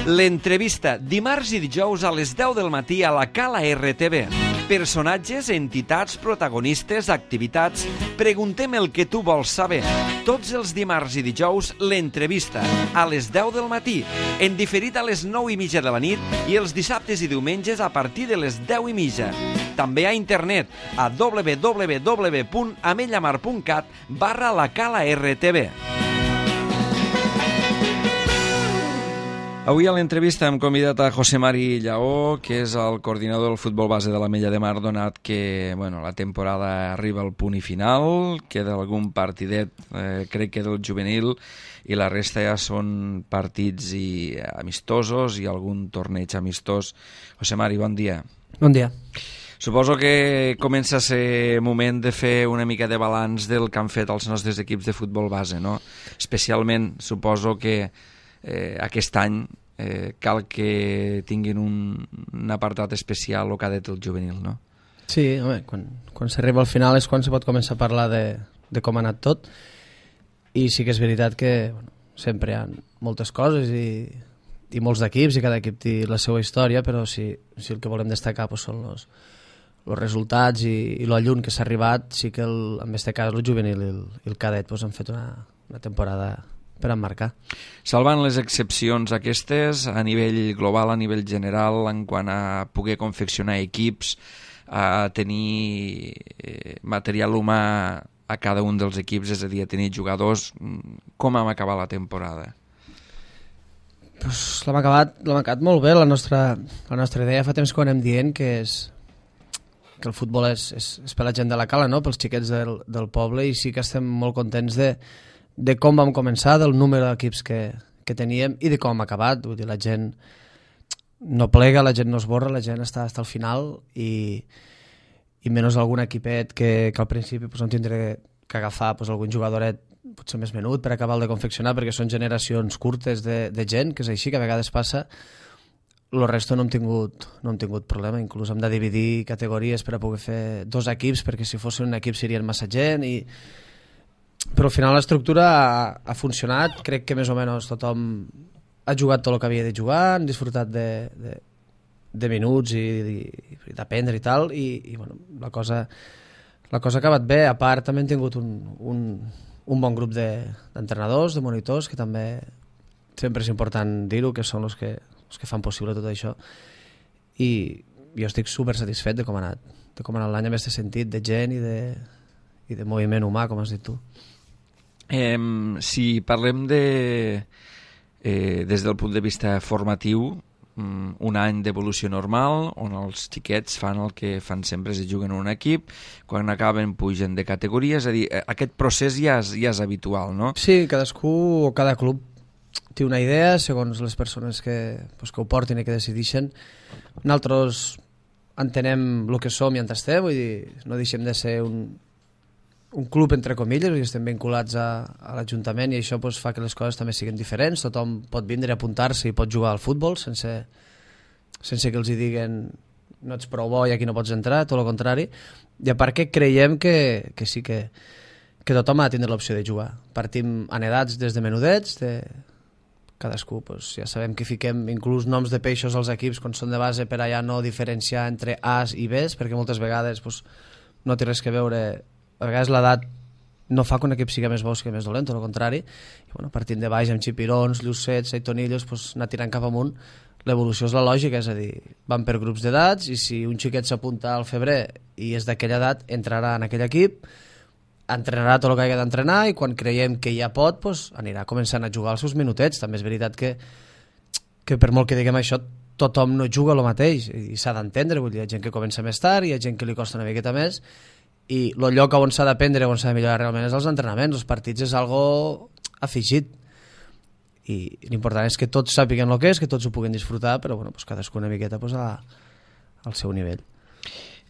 L'entrevista, dimarts i dijous a les 10 del matí a la Cala RTV. Personatges, entitats, protagonistes, activitats... Preguntem el que tu vols saber. Tots els dimarts i dijous, l'entrevista, a les 10 del matí, en diferit a les 9:30 de la nit i els dissabtes i diumenges a partir de les 10:30. També a internet, a www.amellamar.cat/la Cala RTV. Avui a l'entrevista hem convidat a José Mari Lleó, que és el coordinador del futbol base de l'Ametlla de Mar, donat que la temporada arriba al punt i final, queda algun partidet, crec que del juvenil, i la resta ja són partits amistosos i algun torneig amistós. José Mari, bon dia. Bon dia. Suposo que comença a ser moment de fer una mica de balanç del que han fet els nostres equips de futbol base, no? Especialment, suposo que aquest any cal que tinguin un apartat especial o cadet el juvenil, no? Sí, home, quan s'arriba al final és quan se pot començar a parlar de com ha anat tot, i sí que és veritat que sempre hi ha moltes coses i molts d'equips, i cada equip té la seva història, però si el que volem destacar són els resultats i lo lluny que s'ha arribat, sí que en este cas el juvenil i el cadet han fet una temporada per emmarcar. Salvant les excepcions aquestes, a nivell global, a nivell general, en quant a poder confeccionar equips, a tenir material humà a cada un dels equips, és a dir, a tenir jugadors, com hem acabat la temporada? Pues l'hem acabat molt bé. La nostra idea fa temps que ho anem dient, que el futbol és per la gent de la Cala, no? Pels xiquets del poble, i sí que estem molt contents de com vam començar, del número d'equips que teníem i de com hem acabat. Vull dir, la gent no plega, la gent no es borra, la gent està al final, i menys algun equipet que al principi no tindré que agafar algun jugadoret potser més menut per acabar de confeccionar, perquè són generacions curtes de gent, que és així, que a vegades passa. El resto no hem tingut problema, inclús hem de dividir categories per a poder fer 2 equips, perquè si fossin un equip serien massa gent, però al final l'estructura ha funcionat. Crec que més o menys tothom ha jugat tot el que havia de jugar, han disfrutat de minuts i d'aprendre i tal, i la cosa ha acabat bé. A part, també hem tingut un bon grup d'entrenadors, de monitors, que també sempre és important dir-ho, que són els que fan possible tot això, i jo estic super satisfet de com ha anat l'any en aquest sentit, de gent i de moviment humà, com has dit tu. Si parlem des del punt de vista formatiu, un any d'evolució normal, on els xiquets fan el que fan sempre, es juguen en un equip, quan acaben pugen de categoria, és a dir, aquest procés ja és habitual, no? Sí, cadascú o cada club té una idea segons les persones que ho portin i que decideixen. Nosaltres entenem el que som i on estem, vull dir, no deixem de ser un club entre comilles, i estem vinculats a l'Ajuntament, i això fa que les coses també siguin diferents. Tothom pot vindre a apuntar-se i pot jugar al futbol sense que els hi diguen no ets prou bo i aquí no pots entrar, tot el contrari. I a part que creiem que sí que tothom ha de tindre l'opció de jugar. Partim en edats des de menudets, cadascú, ja sabem que fiquem inclús noms de peixos als equips quan són de base, per allà no diferenciar entre A's i B's, perquè moltes vegades no té res que veure. A vegades l'edat no fa que un equip sigui més bo o sigui més dolent, tot el contrari. I partint de baix amb xipirons, llucets, aitonillos, anar tirant cap amunt, l'evolució és la lògica, és a dir, van per grups d'edats, i si un xiquet s'apunta al febrer i és d'aquella edat, entrarà en aquell equip, entrenarà tot el que hagi d'entrenar, i quan creiem que ja pot, anirà començant a jugar els seus minutets. També és veritat que per molt que diguem això, tothom no juga el mateix, i s'ha d'entendre. Vull dir, hi ha gent que comença més tard, hi ha gent que li costa una miqueta més, i el lloc on s'ha d'aprendre, on s'ha de millorar realment, és els entrenaments. Els partits és algo afegit, i l'important és que tots sàpiguen el que és, que tots ho puguin disfrutar, però cadascú una miqueta al seu nivell.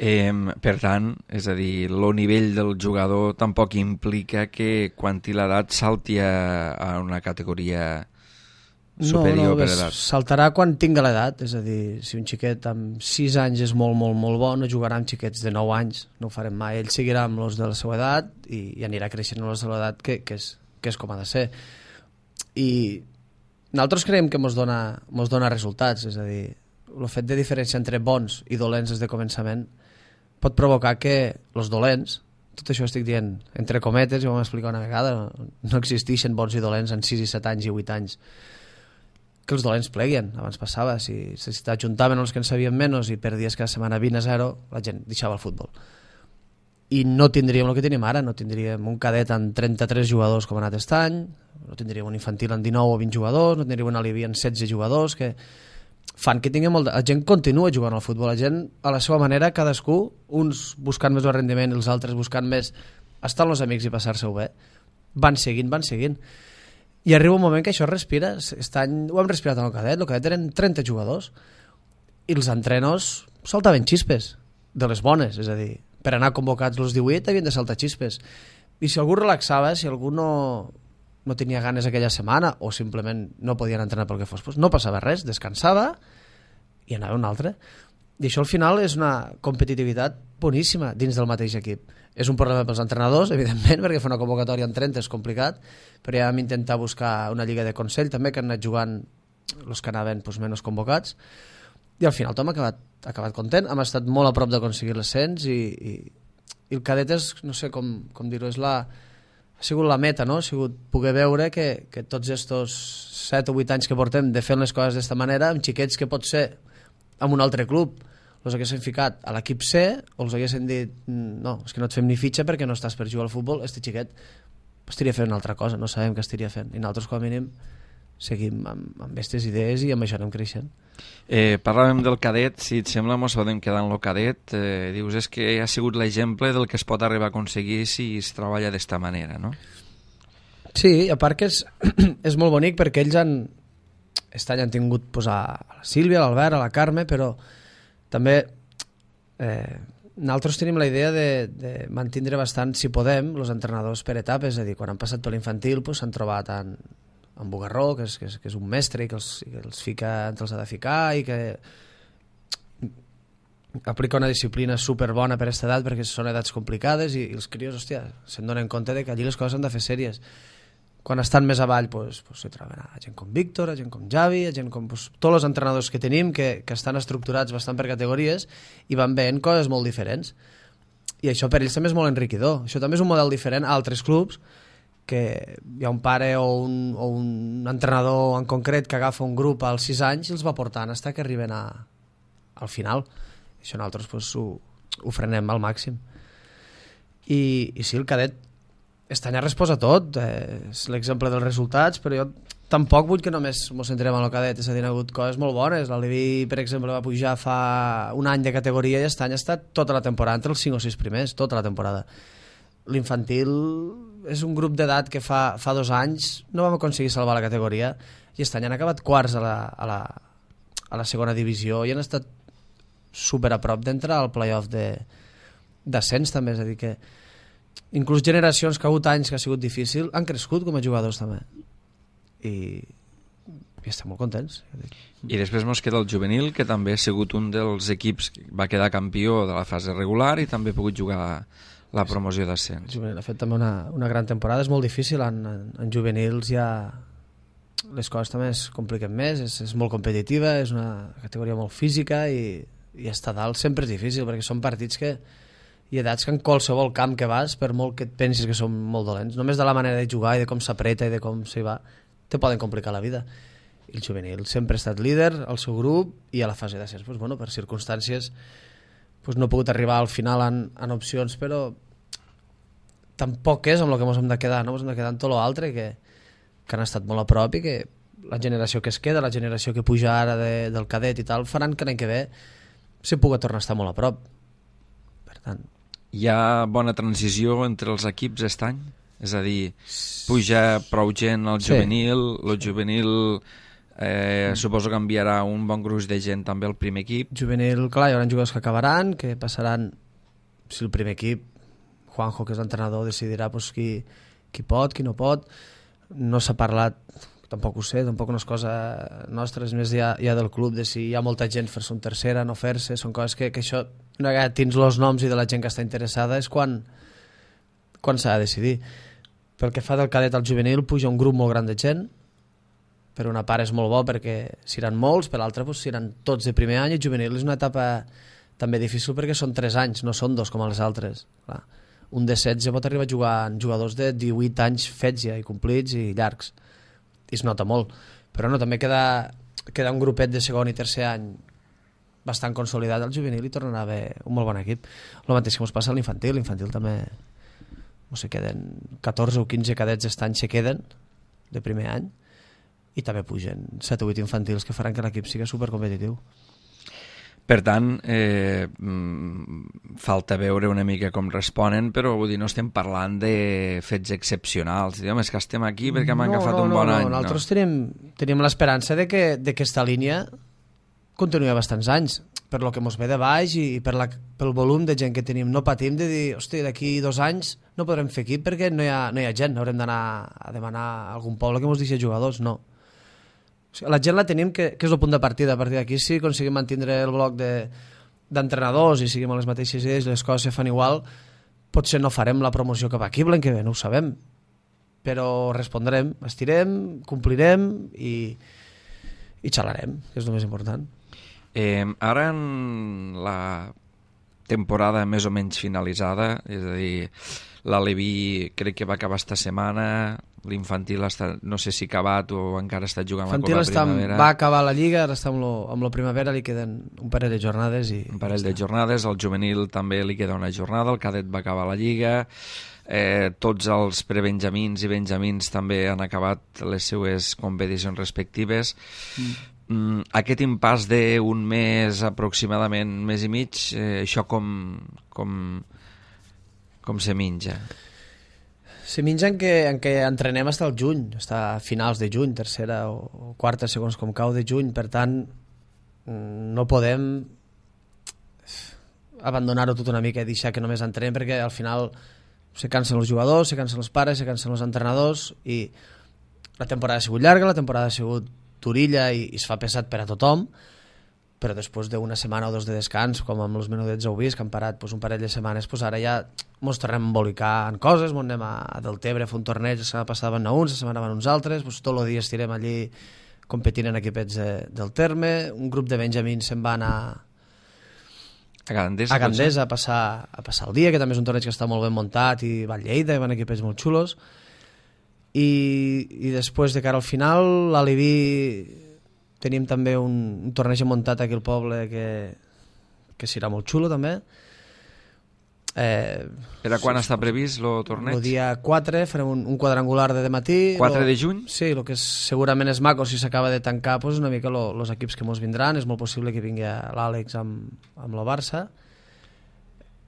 Per tant, és a dir, el nivell del jugador tampoc implica que quan té l'edat salti a una categoria superior per edat. Saltarà quan tinga l'edat, és a dir, si un xiquet amb 6 anys és molt, molt, molt bo, no jugarà amb xiquets de 9 anys, no ho farem mai. Ell seguirà amb els de la seva edat i anirà creixent amb els de l'edat que és com ha de ser. I nosaltres creiem que mos dona resultats, és a dir, el fet de diferència entre bons i dolents des de començament pot provocar que els dolents, tot això estic dient entre cometes, ja ho vam explicar una vegada, no existeixen bons i dolents en 6 i 7 anys i 8 anys, que els dolents pleguen. Abans passava, si t'ajuntaven els que en sabien menys i perdies cada setmana 20-0, la gent deixava el futbol. I no tindríem el que tenim ara, no tindríem un cadet amb 33 jugadors com ha anat aquest any, no tindríem un infantil amb 19 o 20 jugadors, no tindríem un alivi amb 16 jugadors, que fan que tinguem la gent continua jugant al futbol, la gent a la seva manera, cadascú, uns buscant més el rendiment i els altres buscant més estar amb els amics i passar-se-ho bé, van seguint, i arriba un moment que això es respira. Aquest any ho hem respirat en el cadet eren 30 jugadors i els entrenos saltaven xispes de les bones, és a dir, per anar convocats els 18 havien de saltar xispes, i si algú relaxava, si algú no tenia ganes aquella setmana o simplement no podien entrenar pel que fos, doncs no passava res, descansava i anava un altre. I això al final és una competitivitat boníssima dins del mateix equip. És un problema pels entrenadors, evidentment, perquè fer una convocatòria en 30 és complicat, però ja vam intentar buscar una lliga de consell també, que han anat jugant els que anaven menys convocats, i al final tothom ha acabat content. Hem estat molt a prop d'aconseguir l'ascens i el cadet és, no sé com dir-ho, ha sigut la meta, no? Ha sigut poder veure que tots estos 7 o 8 anys que portem de fer les coses d'esta manera, amb xiquets que pot ser amb un altre club els haguessin ficat a l'equip C o els haguessin dit no, és que no et fem ni fitxa perquè no estàs per jugar al futbol, este xiquet estaria fent una altra cosa, no sabem què estaria fent, i nosaltres com a mínim seguim amb aquestes idees i amb això anem creixent. Parlàvem del cadet, si et sembla mos podem quedar en el cadet. Dius, és que ha sigut l'exemple del que es pot arribar a aconseguir si es treballa d'esta manera, no? Sí, a part que és molt bonic perquè ells aquest any han tingut a la Sílvia, a l'Albert, a la Carme, però també nosaltres tenim la idea de mantindre bastant, si podem, els entrenadors per etapes, és a dir, quan han passat per l'infantil s'han trobat en Bugarró, que és un mestre i que els fica entre els ha de ficar i que aplica una disciplina superbona per aquesta edat perquè són edats complicades i els crios, hòstia, se'n donen compte que allí les coses han de fer sèries. Quan estan més avall s'hi troben a gent com Víctor, a gent com Javi, a gent com tots els entrenadors que tenim que estan estructurats bastant per categories i van veient coses molt diferents, i això per ells també és molt enriquidor. Això també és un model diferent a altres clubs, que hi ha un pare o un entrenador en concret que agafa un grup als 6 anys i els va portant fins que arriben al final. Això nosaltres ho frenem al màxim. I sí, el cadet aquest any ha respost a tot, és l'exemple dels resultats, però jo tampoc vull que només ens centrem en el cadet, és a dir, ha hagut coses molt bones. L'Alivi, per exemple, va pujar fa un any de categoria i aquest any ha estat tota la temporada, entre els 5 o 6 primers, tota la temporada. L'infantil és un grup d'edat que fa 2 anys no vam aconseguir salvar la categoria i aquest any han acabat quarts a la segona divisió i han estat super a prop d'entrar al playoff d'ascens també, és a dir que inclús generacions que ha hagut anys que ha sigut difícil han crescut com a jugadors també i estem molt contents. I després mos queda el juvenil, que també ha sigut un dels equips que va quedar campió de la fase regular i també ha pogut jugar la promoció d'ascens. El juvenil ha fet també una gran temporada, és molt difícil, en juvenils ja les coses també es compliquen més, és molt competitiva, és una categoria molt física i estar dalt sempre és difícil perquè són partits i edats que en qualsevol camp que vas, per molt que et pensis que són molt dolents, només de la manera de jugar i de com s'apreta i de com s'hi va, te poden complicar la vida. I el juvenil sempre ha estat líder al seu grup i a la fase d'ascens, per circumstàncies no ha pogut arribar al final en opcions, però tampoc és amb el que ens hem de quedar, no? Ens hem de quedar en tot l'altre que han estat molt a prop i que la generació que es queda, la generació que puja ara del cadet i tal, faran que l'any que ve s'hi pugui tornar a estar molt a prop. Per tant, hi ha bona transició entre els equips aquest any? És a dir, puja prou gent al juvenil, el juvenil suposo que enviarà un bon gruix de gent també al primer equip. Juvenil, clar, hi haurà jugadors que acabaran, que passaran, si el primer equip, Juanjo, que és l'entrenador, decidirà qui pot, qui no pot. No s'ha parlat, tampoc ho sé, tampoc no és cosa nostra, és més ja del club, de si hi ha molta gent fer-se un tercera, no fer-se, són coses que això, una vegada tens els noms i de la gent que està interessada, és quan s'ha de decidir. Pel que fa del cadet al juvenil, puja un grup molt gran de gent, per una part és molt bo perquè seran molts, per l'altra seran tots de primer any, i juvenil és una etapa també difícil perquè són 3 anys, no són 2 com els altres. Clar. Un de 16 pot arribar a jugar en jugadors de 18 anys fets ja i complits i llargs, i es nota molt, però no, també queda un grupet de segon i tercer any bastant consolidat al juvenil i tornarà a haver un molt bon equip. El mateix que ens passa a l'infantil també, no sé, queden 14 o 15 cadets d'estany se queden de primer any i també pugen 7 o 8 infantils que faran que l'equip sigui supercompetitiu. Per tant, falta veure una mica com responen, però vull dir, no estem parlant de fets excepcionals. Diguem, és que estem aquí perquè hem agafat un bon any. Nosaltres tenim l'esperança de que aquesta línia continuï bastants anys, per lo que ens ve de baix i pel volum de gent que tenim. No patim de dir, hosti, d'aquí 2 anys no podrem fer equip perquè no hi ha gent, haurem d'anar a demanar a algun poble que ens deixi jugadors, no. La gent la tenim, que és el punt de partida. A partir d'aquí, si aconseguim mantenir el bloc d'entrenadors i seguim les mateixes idees i les coses se fan igual, potser no farem la promoció cap aquí l'any que ve, no ho sabem, però respondrem, estirem, complirem i xalarem, que és el més important. Ara en la temporada més o menys finalitzada, és a dir, l'Aleví crec que va acabar esta setmana, l'infantil no sé si ha acabat o encara està jugant la Copa Primavera. Va acabar la Lliga, ara està amb la Primavera, li queden un parell de jornades. Un parell de jornades, al juvenil també li queda una jornada, el cadet va acabar la Lliga, tots els prebenjamins i benjamins també han acabat les seues competicions respectives. Aquest impàs d'un mes aproximadament, un mes i mig, això com se minja? Se minja en què entrenem fins al juny, fins a finals de juny, tercera o quarta, segons com cau de juny. Per tant, no podem abandonar-ho tot una mica i deixar que només entrenem, perquè al final se cansen els jugadors, se cansen els pares, se cansen els entrenadors, i la temporada ha sigut llarga, la temporada ha sigut durilla i es fa pesat per a tothom, però després d'una setmana o 2 de descans, com amb els menudets heu vist, que han parat un parell de setmanes, ara ja ens tornem a embolicar en coses, ens anem a Deltebre a fer un torneig, la setmana passada van anar uns, la setmana van uns altres, tot el dia estirem allí competint en equipets del terme, un grup de benjamins se'n va anar a Gandesa a passar el dia, que també és un torneig que està molt ben muntat, i va a Lleida, i van equipets molt xulos, i després de cara al final l'Aleví tenim també un torneig muntat aquí al poble que serà molt xulo també. Per a quan està previst el torneig? El dia 4 farem un quadrangular de matí. 4 de juny? Sí, el que segurament és maco si s'acaba de tancar una mica els equips que ens vindran. És molt possible que vingui l'Àlex amb el Barça.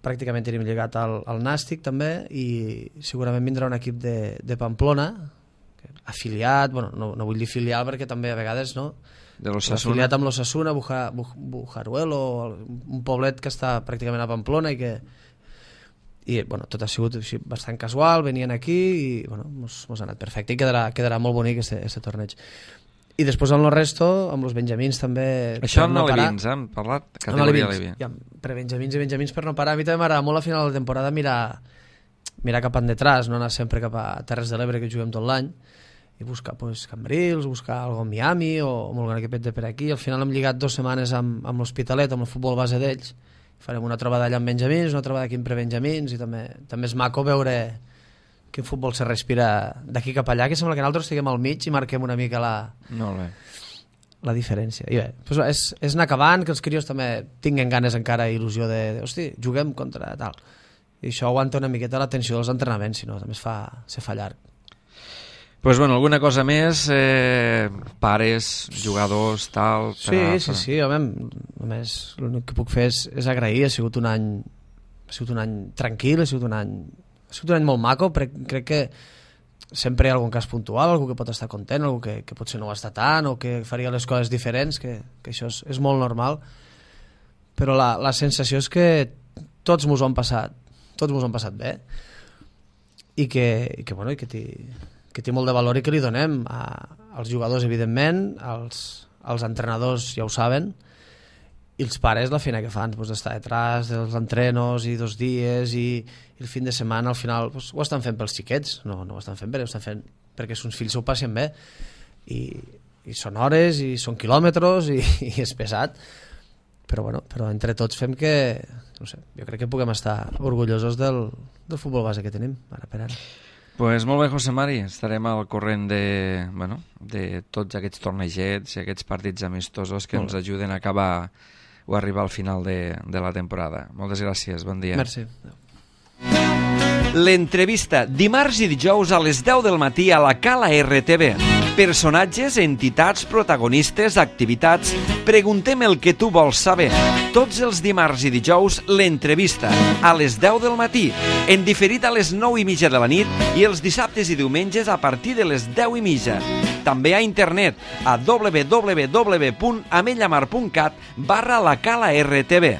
Pràcticament tenim lligat al Nàstic també, i segurament vindrà un equip de Pamplona afiliat, no vull dir filial perquè també a vegades no, afiliat amb l'Osasuna, Bujaruelo, un poblet que està pràcticament a Pamplona, i tot ha sigut així, bastant casual, venien aquí i mos ha anat perfecte, i quedarà molt bonic este torneig. I després amb el resto, amb els benjamins també... Això amb alevins, hem parlat? Categoria alevins. Per benjamins i benjamins per no parar. A mi també m'agrada molt a final de temporada mirar cap endetrás, no anar sempre cap a Terres de l'Ebre, que juguem tot l'any, i buscar Cambrils, buscar algun Miami o algun equipet de per aquí. Al final hem lligat 2 setmanes amb l'Hospitalet, amb el futbol base d'ells. Farem una trobada allà amb benjamins, una trobada aquí amb prebenjamins, i també és maco veure quin futbol se respira d'aquí cap allà, que sembla que nosaltres estiguem al mig i marquem una mica la diferència. I bé, és anar acabant, que els crios també tinguen ganes encara, il·lusió hosti, juguem contra tal. I això aguanta una miqueta l'atenció dels entrenaments, si no també se fa llarg. Pues bueno, alguna cosa més, pares, jugadors, tal... Sí, home, només l'únic que puc fer és agrair. Ha sigut un any tranquil, ha sigut un any molt maco, però crec que sempre hi ha algun cas puntual, algú que pot estar content, algú que potser no ho està tant, o que faria les coses diferents, que això és molt normal, però la sensació és que tots mos ho han passat bé, i que té molt de valor i que li donem als jugadors, evidentment, als entrenadors ja ho saben, i els pares la feina que fan, d'estar detrás dels entrenos i 2 dies i el fin de setmana, al final ho estan fent pels xiquets, no ho estan fent perquè els fills s'ho passen bé, i i són hores i són quilòmetres i és pesat, però entre tots fem que, no sé, jo crec que puguem estar orgullosos del futbol base que tenim ara per ara. Pues molt bé, José Mari, estarem al corrent de tots aquests tornejets i aquests partits amistosos que ens ajuden a acabar o arribar al final de la temporada. Moltes gràcies, bon dia. Merci. L'entrevista, dimarts i dijous a les 10 del matí a la Cala RTV. Personatges, entitats, protagonistes, activitats... Preguntem el que tu vols saber. Tots els dimarts i dijous, l'entrevista, a les 10 del matí, en diferit a les 9:30 de la nit i els dissabtes i diumenges a partir de les 10:30. També a internet a www.amellamar.cat/la Cala RTV.